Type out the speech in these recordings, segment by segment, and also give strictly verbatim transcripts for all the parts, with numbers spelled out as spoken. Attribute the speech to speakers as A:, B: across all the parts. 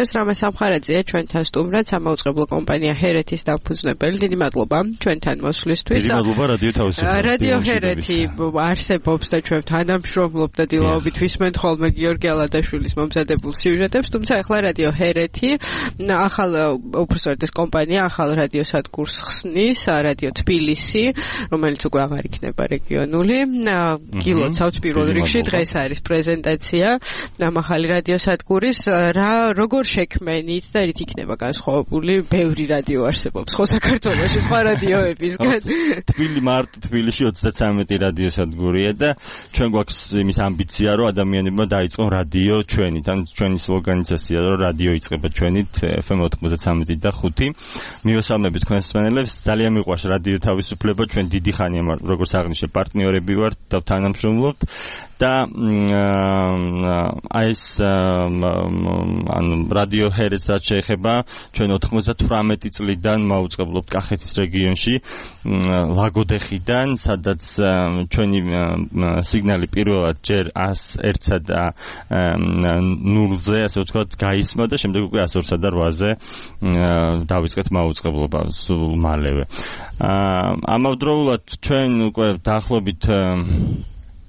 A: ეს რამე სამხარაძეა ჩვენთან სტუმრად სამაუწყებლო კომპანია ჰერეთის დამფუძნებელი. დიდი მადლობა ჩვენთან მოსვლისთვის.
B: დიდი მადლობა რადიო თავისუფლება.
A: რადიო ჰერეთი არსებობს და ჩვენ თანამშრომლობ და დილაობით ვისმენთ ხოლმე გიორგი ალადაშვილის მომზადებულ სიუჟეტებს, თუმცა ახლა რადიო ჰერეთი ახალ უბრალოდ ეს კომპანია ახალ რადიო სადგურს ხსნის, რადიო თბილისი, რომელიც უკვე აღარ იქნება რეგიონული. გილოცავთ პირველ რიგში დღეს არის პრეზენტაცია ამ ახალი რადიო სადგურის. რა როგორ შექმენით და რით იქნება განსხვავებული? ბევრი რადიო არსებობს ხო საქართველოში სხვა რადიოებისგან.
B: თბილი მარტო თბილისში ოცდათრამეტი რადიო სადგურია და ჩვენ გვაქვს იმის ამბიცია, რომ ადამიანებმა დაიწყონ რადიო ჩვენით. ან ჩვენი სლოგანიზაცია, რომ რადიო იწყება ჩვენით ეფ ემ ოცდათრამეტი და ხუთი. მივესალმებით თქვენს მსმენელებს. ძალიან მიყვარს რადიო თავისუფლება. ჩვენ დიდი ხანია როგორც აღნიშნე პარტნიორები ვართ და თანამშრომლობთ. და აი ეს ან რადიო ჰერეთს რაც შეეხება ჩვენ ოცდათვრამეტი წლიდან მაუწყებლობთ კახეთის რეგიონში ლაგოდეხიდან, სადაც ჩვენი სიგნალი პირველად ჯერ ას ერთსა და ნულზე, ასე ვთქვათ, გაისმა და შემდეგ უკვე ას ორსა და რვაზე დავიწყეთ მაუწყებლობა სულ მალევე. ამავდროულად ჩვენ უკვე დაახლოებით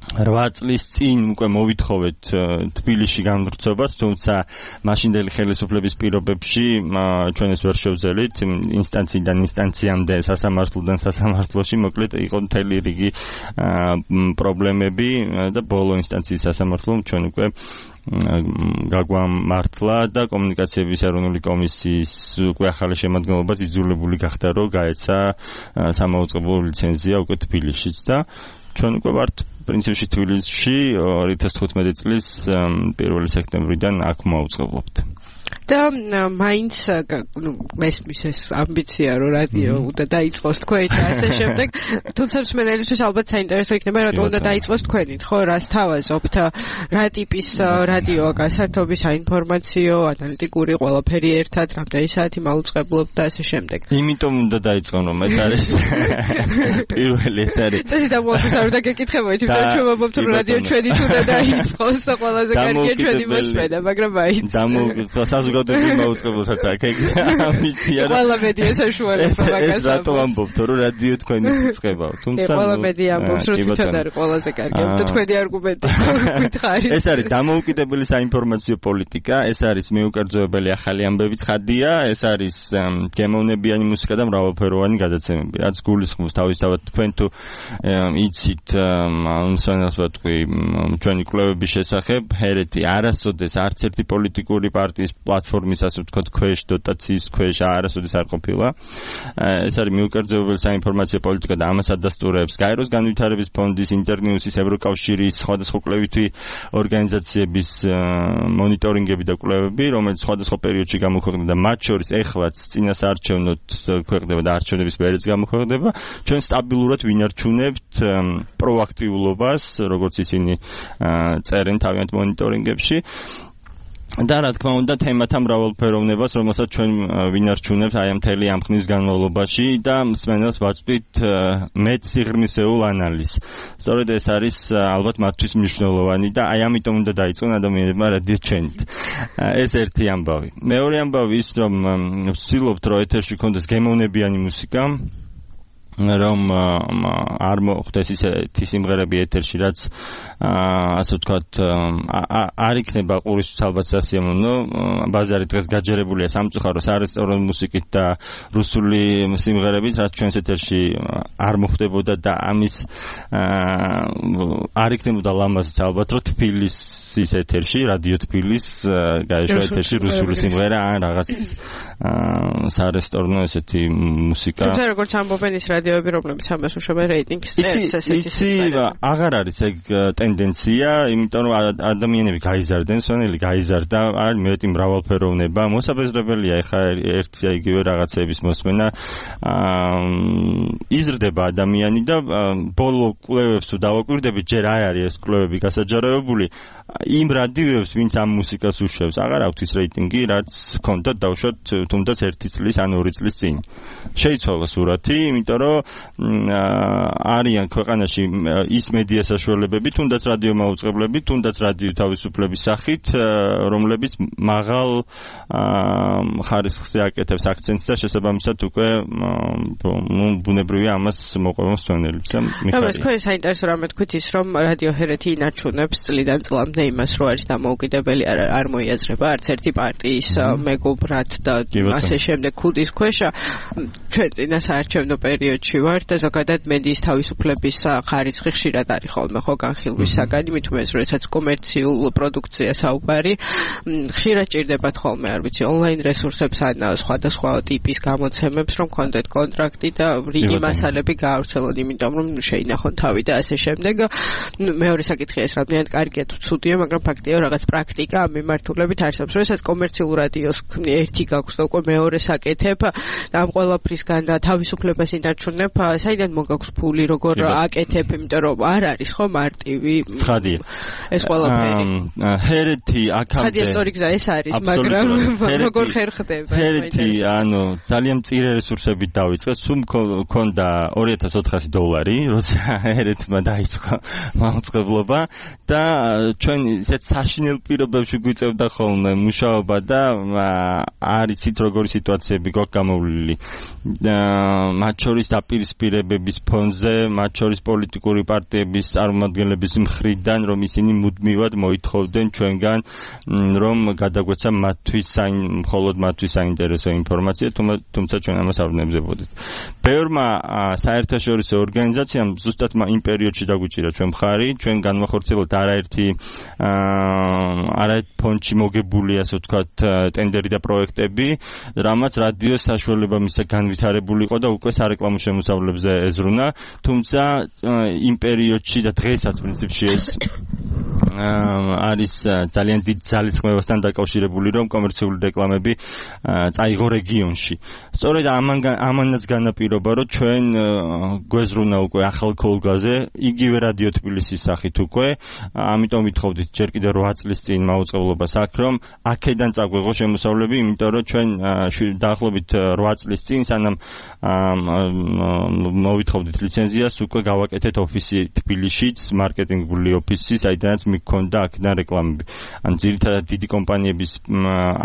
B: რვა წლის წინ უკვე მოვითხოვეთ თბილისში გამვრცობას, თუმცა მაშინდელი ხელისუფლების პირობებში ჩვენ ეს ვერ შევძელით ინსტანციიდან ინსტანციამდე, სასამართლოდან სასამართლოში, მოკლედ იყო მთელი რიგი პრობლემები და ბოლო ინსტანციის სასამართლომ ჩვენ უკვე გაგვამართლა და კომუნიკაციების ეროვნული კომისიის უკვე ახალი შემადგენლობაც იძულებული გახდა, რომ გაეცა სამაუწყებლო ლიცენზია უკვე თბილისშიც და ჩვენ უკვე ვართ პრინციპში თბილისში ორი ათას თხუთმეტი წლის პირველი სექტემბრიდან აქ მოვუწყებლობთ.
A: და მაინც ნუ მესმის ეს ამბიცია რომ რადიო უნდა დაიწყოს თქვენი და ასე შემდეგ, თუმცა მსმენელისთვის ალბათ საინტერესო იქნება რატომ უნდა დაიწყოს თქვენით, ხო? რას თავაზობთ? რა ტიპის რადიოა გასართობი, საინფორმაციო, ანალიტიკური, ყველაფერი ერთად, რამდენი საათი მაუწყებლობთ და ასე შემდეგ.
B: იმიტომ უნდა დაიწყონ, რომ ეს არის პირველი ეს არის.
A: წესი დამოუკიდებლად არ უნდა გეკითხებოდი, თუმცა ჩვენ ვამბობთ რომ რადიო ჩვენით უნდა დაიწყოს და ყველაზე კარგია ჩვენი მოსმენა, მაგრამ მაინც
B: დამოუკიდებლად საზოგადოებრივ მაუწყებელსაც აქ ამბიცია რა.
A: ყველა მედია საშუალება მაგას.
B: ეს რატო ამბობთ რომ რადიო თქვენი წწყება, თუმცა
A: ყველა მედია ამბობს რომ თვითონ არის ყველაზე კარგი და თქვენი არგუმენტი გითხარით.
B: ეს არის დამოუკიდებელი საინფორმაციო პოლიტიკა, ეს არის მიუკერძოებელი ახალი ამბების ხადია, ეს არის გემოვნებიანი მუსიკა და მრავალფეროვანი გადაცემები, რაც გულისხმობს თავისთავად თქვენ თუ იცით მსმენელს ვეთქვი ჩვენი კვლევების შესახებ, ჰერეთი არასოდეს არც ერთი პოლიტიკური პარტიის პლატფორმის, ასე ვთქვათ, ქვეშ, დოტაციის ქვეშ არასოდეს არ ყოფილა. ეს არის მიუკერძოებელი საინფორმაციო პოლიტიკა და ამას ადასტურებს გაეროს განვითარების ფონდის, ინტერნიუსის, ევროკავშირის, სხვადასხვა კვლევითი ორგანიზაციების მონიტორინგები და კვლევები, რომელიც სხვადასხვა პერიოდში გამოქვეყნდა და მათ შორის ეხლაც წინასაარჩევნოდ ქვეყნდება და არჩევნების პერიოდს გამოქვეყნდება. ჩვენ სტაბილურად ვინარჩუნებთ პროაქტიულობას, როგორც ისინი წერენ თავიანთ მონიტორინგებში. და რა თქმა უნდა თემათა მრავალფეროვნებას, რომელსაც ჩვენ ვინარჩუნებთ აი ამ მთელი ამ ხნის განმავლობაში და მსმენელს ვაწვდით მეტ სიღრმისეულ ანალიზს. სწორედ ეს არის ალბათ მათთვის მნიშვნელოვანი და აი ამიტომ უნდა დაიწყონ ადამიანებმა რადიო ჩვენით. ეს ერთი ამბავი. მეორე ამბავი ის, რომ ვცდილობთ რომ ეთერში გქონდეს გემოვნებიანი მუსიკა, რომ არ მოხდეს ისეთი სიმღერები ეთერში, რაც ასე ვთქვათ არ იქნება ყურისთვის ალბათ სასიამოვნო. ბაზარი დღეს გაჯერებულია სამწუხარო სარესტორანო მუსიკით და რუსული სიმღერებით, რაც ჩვენს ეთერში არ მოხდებოდა და ამის არ იქნებოდა ლამაზიც ალბათ, რომ თბილისის ეთერში, რადიო თბილის გაეშვა ეთერში რუსული სიმღერა ან რაღაც სარესტორანო ესეთი მუსიკა.
A: თუმცა როგორც ამბობენ ის რადიოები, რომლებიც ამას უშვებენ რეიტინგს,
B: იცი, აღარ არის ეგ ტენდენცია, იმიტომ რომ ადამიანები გაიზარდნენ, მსმენელი გაიზარდა, არის მეტი მრავალფეროვნება, მოსაბეზრებელია ეხა ერთი და იგივე რაღაცების მოსმენა, იზრდება ადამიანი და ბოლო კვლევებს თუ დავაკვირდებით, ჯერ არ არის ეს კვლევები გასაჯაროებული, იმ რადიოებს, ვინც ამ მუსიკას უშვებს, აღარ აქვთ ის რეიტინგი, რაც ჰქონდათ დავუშვათ თუნდაც ერთი წლის ან ორი წლის წინ. შეიცვალა სურათი, იმიტომ რომ არიან ქვეყანაში ის მედია საშუალებები, თუნდაც რადიო მაუწყებლები, თუნდაც რადიო თავისუფლების სახით, რომლებიც მაღალ ხარისხს აკეთებს აქცენტს და შესაბამისად უკვე ბუნებრივია ამას მოყვება მსვენელიც და მიხარია.
A: ეს თქვენ საინტერესო რამე თქვით ის რომ რადიო ჰერეთი ინარჩუნებს წლიდან წლამდე იმას რომ არის დამოუკიდებელი არ მოიაზრება არც ერთი პარტიის მეგობრად და ასე შემდეგ ქუდის ქვეშა ჩვენ წინა საარჩევნო პერიოდში ვართ და ზოგადად მედიის თავისუფლების ხარისხი ხშირად არის ხოლმე ხო განხილვის საგანი მით უმეტეს როდესაც კომერციულ პროდუქციას საუბარი ხშირად ჭირდებათ ხოლმე არ ვიცი ონლაინ რესურსებს ან სხვადასხვა ტიპის გამოცემებს რომ კონტენტ კონტრაქტი და რიგი მასალები გაავრცელონ იმიტომ რომ შეინახონ თავი და ასე შემდეგ მეორე საკითხია ეს რამდენად კარგია თუ ცუდია მაგრამ ფაქტია რაღაც პრაქტიკა ამ მიმართულებით არსებობს როდესაც კომერციულ რადიოს ერთი გაქვს და უკვე მეორე საკეთებ და ამ ყველაფრისგან და თავისუფლებას ინარჩუნებ საიდან მოგაქვს ფული როგორ აკეთებ იმიტომ რომ არ არის ხო მარტივი
B: ცხადია
A: ეს ყველაფერი
B: ჰერეთი აქამდე
A: ცხადია სწორი გზა ეს არის მაგრამ როგორ ხერხდება
B: ჰერეთი ანუ ძალიან მწირე რესურსებით დაიწყეს სულ მქონდა ორი ათას ოთხასი დოლარი როცა ჰერეთმა დაიწყო მაუწყებლობა და ჩვენ ისეთ საშინელ პირობებში გვიწევდა ხოლმე მუშაობა და არიცით როგორი სიტუაციები გვაქვს გამოვლილი მათ შორის დაპირისპირებების ფონზე მათ შორის პოლიტიკური პარტიების წარმომადგენლების მხრიდან რომ ისინი მუდმივად მოითხოვდნენ ჩვენგან რომ გადაგვეცა მათთვის მხოლოდ მათთვის საინტერესო ინფორმაცია თუმცა ჩვენ ამას არ ვნებდებოდით ბევრმა საერთაშორისო ორგანიზაციამ ზუსტად იმ პერიოდში დაგვიჭირა ჩვენ მხარი ჩვენ განვახორციელოთ არაერთი არაერთ ფონდში მოგებული ასე ვთქვათ ტენდერი და პროექტები რამაც რადიოს საშუალება მისცა განვითარებული იყო და უკვე სარეკლამო შემოსავლებზე ეძღვნა თუმცა იმ პერიოდში და დღესაც პრინციპში ეს არის ძალიან დიდ ძალისხმევასთან დაკავშირებული რომ კომერციული რეკლამები წაიღო რეგიონში. სწორედ ამან ამანაც განაპირობა რომ ჩვენ გვეზრუნა უკვე ახალ ქოლგაზე იგივე რადიო თბილისის სახით უკვე ამიტომ ვითხოვდით ჯერ კიდევ რვა წლის წინ მაუწყებლობას აქ რომ აქედან წაგვეღო შემოსავლები იმიტომ რომ ჩვენ დაახლოებით რვა წლის წინ სანამ მოვითხოვდით ლიცენზიას უკვე გავაკეთეთ ოფისი თბილისშიც მარკეტინგული ოფისი საიდანაც მიქონდა აქედან რეკლამები. ან ძირითადად დიდი კომპანიების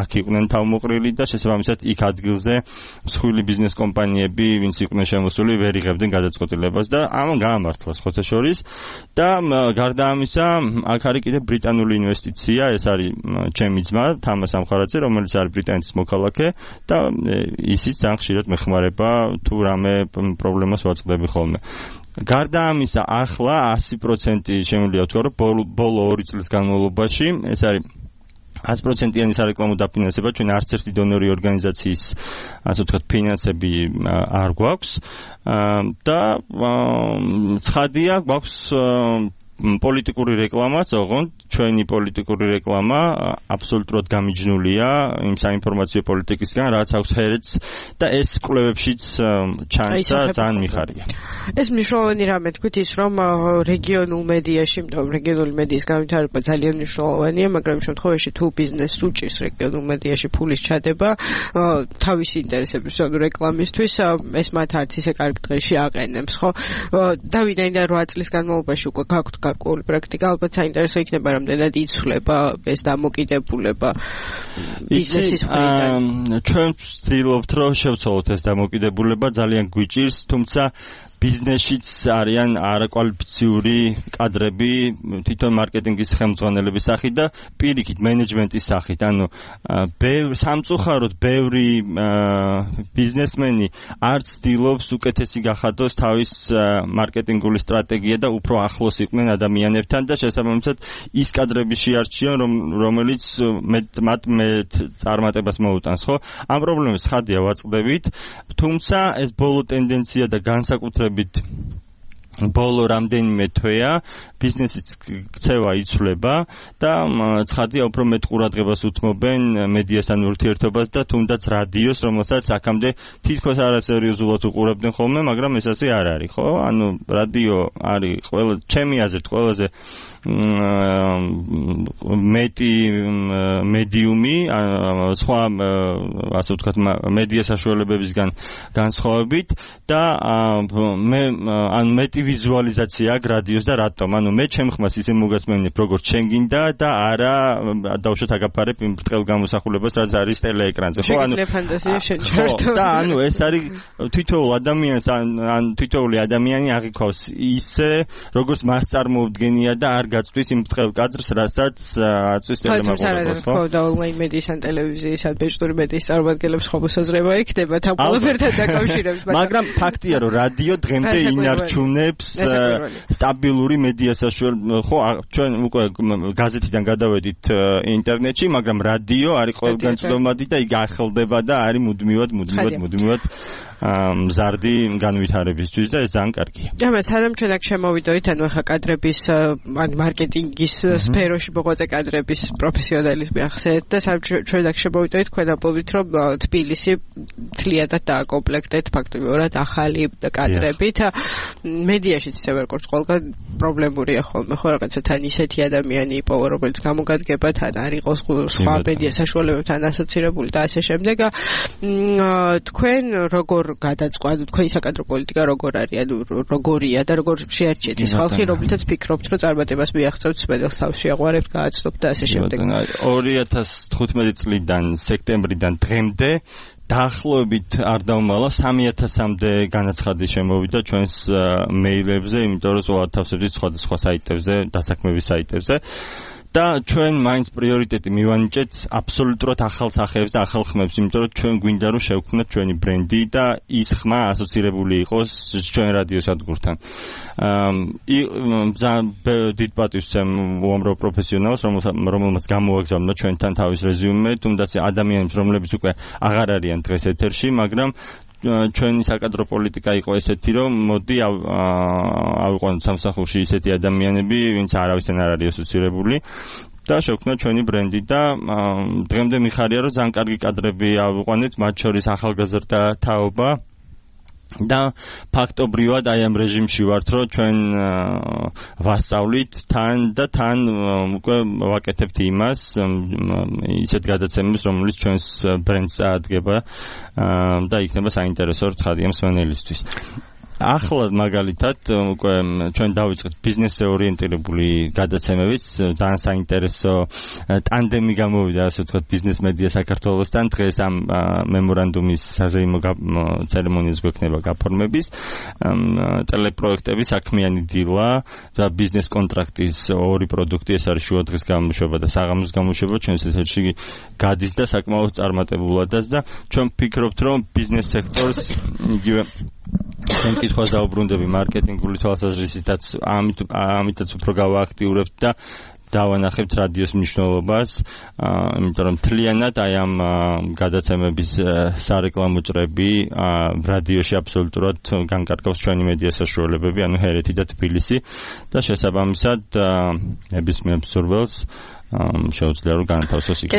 B: აქ იყვნენ თავმოყრილი და შესაბამისად იქ ადგილზე მსხვილი ბიზნეს კომპანიები, ვინც იყვნენ შემოსული, ვერ იღებდნენ გადაწყვეტილებას და ამან გაამართლა ხოთა შორის და გარდა ამისა, აქ არის კიდე ბრიტანული ინვესტიცია, ეს არის ჩემი ძმა, თამას ამხარაძე, რომელიც არის ბრიტანეთის მოქალაქე და ისიც ძალიან ხშირად მეხმარება თუ რამე პრობლემას ვაწყდები ხოლმე. გარდა ამისა, ახლა ასი პროცენტი შემიძლია ვთქვა, რომ ბოლო ორი წლის განმავლობაში ეს არის ასი პროცენტიანი სარეკლამო დაფინანსება ჩვენ არც ერთი დონორი ორგანიზაციის ასე ვთქვათ ფინანსები არ გვაქვს და ცხადია გვაქვს პოლიტიკური რეკლამაც, ოღონდ ჩვენი პოლიტიკური რეკლამა აბსოლუტურად გამიჯნულია იმ საინფორმაციო პოლიტიკისგან, რაც აქვს ჰერეთს და ეს კვლევებშიც ჩანს და ძალიან მიხარია.
A: ეს მნიშვნელოვანი რამე თქვით ის რომ რეგიონულ მედიაში, იმიტომ რეგიონული მედიის განვითარება ძალიან მნიშვნელოვანია, მაგრამ იმ შემთხვევაში თუ ბიზნესს უჭირს რეგიონულ მედიაში ფულის ჩადება, თავისი ინტერესების ანუ რეკლამისთვის ეს მათ არც ისე კარგ დღეში აყენებს, ხო? და ვინაიდან რვა წლის განმავლობაში უკვე გაქვთ გარკვეული პრაქტიკა, ალბათ საინტერესო იქნება რამდენად იცვლება ეს დამოკიდებულება ბიზნესის მხრიდან.
B: ჩვენ ვცდილობთ რომ შევცვალოთ ეს დამოკიდებულება, ძალიან გვიჭირს, თუმცა ბიზნესშიც არიან არაკვალიფიციური კადრები თვითონ მარკეტინგის ხელმძღვანელების სახით და პირიქით მენეჯმენტის სახით. ანუ ბევრი სამწუხაროდ ბევრი ბიზნესმენი არც ცდილობს უკეთესი გახადოს თავის მარკეტინგული სტრატეგია და უფრო ახლოს იყვნენ ადამიანებთან და შესაბამისად ის კადრები შეარჩიონ რომელიც მათ მეტ წარმატებას მოუტანს, ხო? ამ პრობლემას ხადია ვაწყდებით, თუმცა ეს ბოლო ტენდენცია და განსაკუთრებით ბოლო რამდენიმე თვეა ბიზნესის ქცევა იცვლება და ცხადია უფრო მეტ ყურადღებას უთმობენ მედიასთან ურთიერთობას და თუნდაც რადიოს, რომელსაც აქამდე თითქოს არასერიოზულად უყურებდნენ ხოლმე, მაგრამ ეს ასე არ არის, ხო? ანუ რადიო არის ყველა ჩემი აზრით ყველაზე მეტი მედიუმი სხვა ასე ვთქვათ მედია საშუალებებისგან განსხვავებით და მე ან მეტი ვიზუალიზაცია რადიოს და რატომ? ანუ მე ჩემ ხმას ისე მოგასმენებ როგორც შენ გინდა და არა დავუშვათ აგაფარებ იმ ბრტყელ გამოსახულებას რაც არის ტელეეკრანზე.
A: ხო, ანუ ფანტაზია შეჩართო.
B: და ანუ ეს არის თითოეულ ადამიანს ან თითოეული ადამიანი აღიქვავს ისე როგორც მას წარმოუდგენია და არ გაწვდის იმ ბრტყელ კადრს, რასაც აწვის ტელემაყურებელს, ხო?
A: და ონლაინ მედიის ან ტელევიზიის ან ბეჭდური მედიის წარმომადგენლებს ხო მოსაზრება იქნება თან ყველაფერთან დაკავშირებით.
B: მაგრამ ფაქტია რომ რადიო დღემდე ინარჩუნებს სტაბილური მედია საშუალება. ხო, ჩვენ უკვე გაზეთიდან გადავედით ინტერნეტში, მაგრამ რადიო არის ყველგან წვდომადი და იგი ახლდება და არის მუდმივად, მუდმივად, მუდმივად მზარდი განვითარებისთვის და ეს ძალიან კარგია.
A: და სანამ ჩვენ აქ შემოვიდოით, ანუ ახლა კადრების ან მარკეტინგის სფეროში მოღვაწე კადრების პროფესიონალიზმი ახსენეთ და სანამ ჩვენ აქ შემოვიდოით, თქვენ ამბობთ, რომ თბილისი თლიანად დააკომპლექტეთ ფაქტობრივად ახალი კადრებით. მედიაშიც ისე როგორც ყველგან პრობლემურია ხოლმე, ხო, რაღაცა თან ისეთი ადამიანი იპოვა, რომელიც გამოგადგება, თან არ იყოს სხვა მედია საშუალებებთან ასოცირებული და ასე შემდეგ. თქვენ როგორ გადაწყვეტთ, თქვენი საკადრო პოლიტიკა როგორ არის, ანუ როგორია და როგორ შეარჩიეთ ის ხალხი, რომლითაც ფიქრობთ, რომ წარმატებას მიაღწევთ, სპედელს თავში აღვარებთ, გააცნობთ და ასე შემდეგ.
B: ორი ათას თხუთმეტი წლიდან სექტემბრიდან დღემდე დაახლოებით არ დავმალა სამი ათასამდე განაცხადი შემოვიდა ჩვენს მეილებზე, იმიტომ რომ ზოგადად თავსებდით სხვადასხვა საიტებზე, დასაქმების საიტებზე. და ჩვენ მაინც პრიორიტეტი მივანიჭეთ აბსოლუტურად ახალ სახეებს და ახალ ხმებს, იმიტომ რომ ჩვენ გვინდა რომ შევქმნათ ჩვენი ბრენდი და ის ხმა ასოცირებული იყოს ჩვენ რადიო სადგურთან. ძალიან დიდ პატივს ვცემ უამრავ პროფესიონალს, რომელმაც გამოაგზავნა ჩვენთან თავის რეზიუმე, თუნდაც ადამიანებს, რომლებიც უკვე აღარ არიან დღეს ეთერში, მაგრამ ჩვენი საკადრო პოლიტიკა იყო ესეთი, რომ მოდი ავიყვანოთ სამსახურში ისეთი ადამიანები, ვინც არავისთან არ არის ასოცირებული და შევქმნათ ჩვენი ბრენდი და დღემდე მიხარია, რომ ძალიან კარგი კადრები ავიყვანეთ, მათ შორის ახალგაზრდა თაობა და ფაქტობრივად აი ამ რეჟიმში ვართ, რომ ჩვენ ვასწავლით თან და თან უკვე ვაკეთებთ იმას, ისეთ გადაცემებს, რომელიც ჩვენს ბრენდს წაადგება და იქნება საინტერესო ცხადია მსმენელისთვის. ახლა მაგალითად უკვე ჩვენ დავიწყეთ ბიზნესზე ორიენტირებული გადაცემებით, ძალიან საინტერესო ტანდემი გამოვიდა, ასე ვთქვათ, ბიზნეს მედია საქართველოსთან. დღეს ამ მემორანდუმის საზეიმო ცერემონიას გვექნება გაფორმების, ტელეპროექტების საქმიანი დილა და ბიზნეს კონტრაქტის ორი პროდუქტი, ეს არის შუადღის გამოშვება და საღამოს გამოშვება, ჩვენს ეთერში გადის და საკმაოდ წარმატებულადაც და ჩვენ ვფიქრობთ, რომ ბიზნეს სექტორს იგივე ჩვენ კითხვას დაუბრუნდები მარკეტინგული თვალსაზრისითაც, ამით ამითაც უფრო გავააქტიურებთ და დავანახებთ რადიოს მნიშვნელობას, იმიტომ რომ მთლიანად აი ამ გადაცემების სარეკლამო წრები რადიოში აბსოლუტურად განკარგავს ჩვენი მედია საშუალებები, ანუ ჰერეთი და თბილისი და შესაბამისად ნებისმიერ მსურველს შეუძლია რომ განათავსოს იქ.